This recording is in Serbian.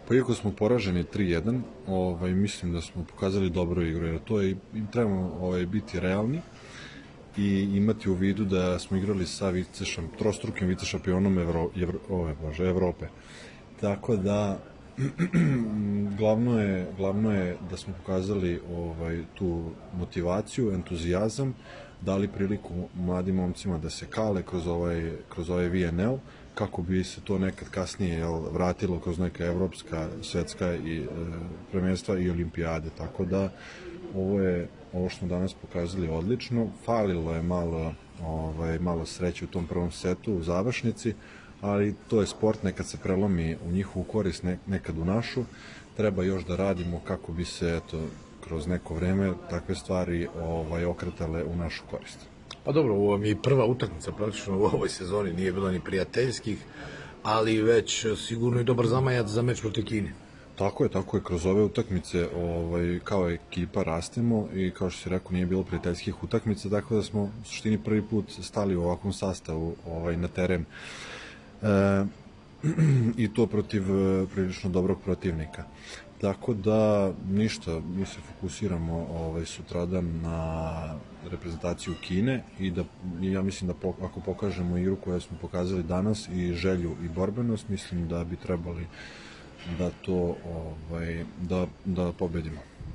Pa iako smo poraženi 3:1, mislim da smo pokazali dobru igru, jer to je, trebamo biti realni i imati u vidu da smo igrali sa trostrukim vicešampionom Evrope. Tako da glavno je da smo pokazali tu motivaciju, entuzijazam, dali priliku mladim momcima da se kale kroz ovaj VNL, kako bi se to nekad kasnije vratilo kroz neka evropska, svetska i prvenstva i olimpijade. Tako da ovo što smo danas pokazali odlično. Falilo je malo sreće u tom prvom setu, u završnici, ali to je sport, nekad se prelomi u njihovu korist, nekad u našu. Treba još da radimo kako bi se kroz neko vreme takve stvari okretale u našu korist. Pa dobro, ovo mi je prva utakmica praktično u ovoj sezoni, nije bilo ni prijateljskih, ali već sigurno i dobar zamajac za meč protiv Kine. Tako je, kroz ove utakmice kao ekipa rastemo i kao što si rekao, nije bilo prijateljskih utakmica, tako da smo u suštini prvi put stali u ovakvom sastavu na teren i to protiv prilično dobrog protivnika. Tako da ništa, mi se fokusiramo sutradan na reprezentaciju Kine i ja mislim da ako pokažemo igru koju smo pokazali danas i želju i borbenost, mislim da bi trebali da pobedimo.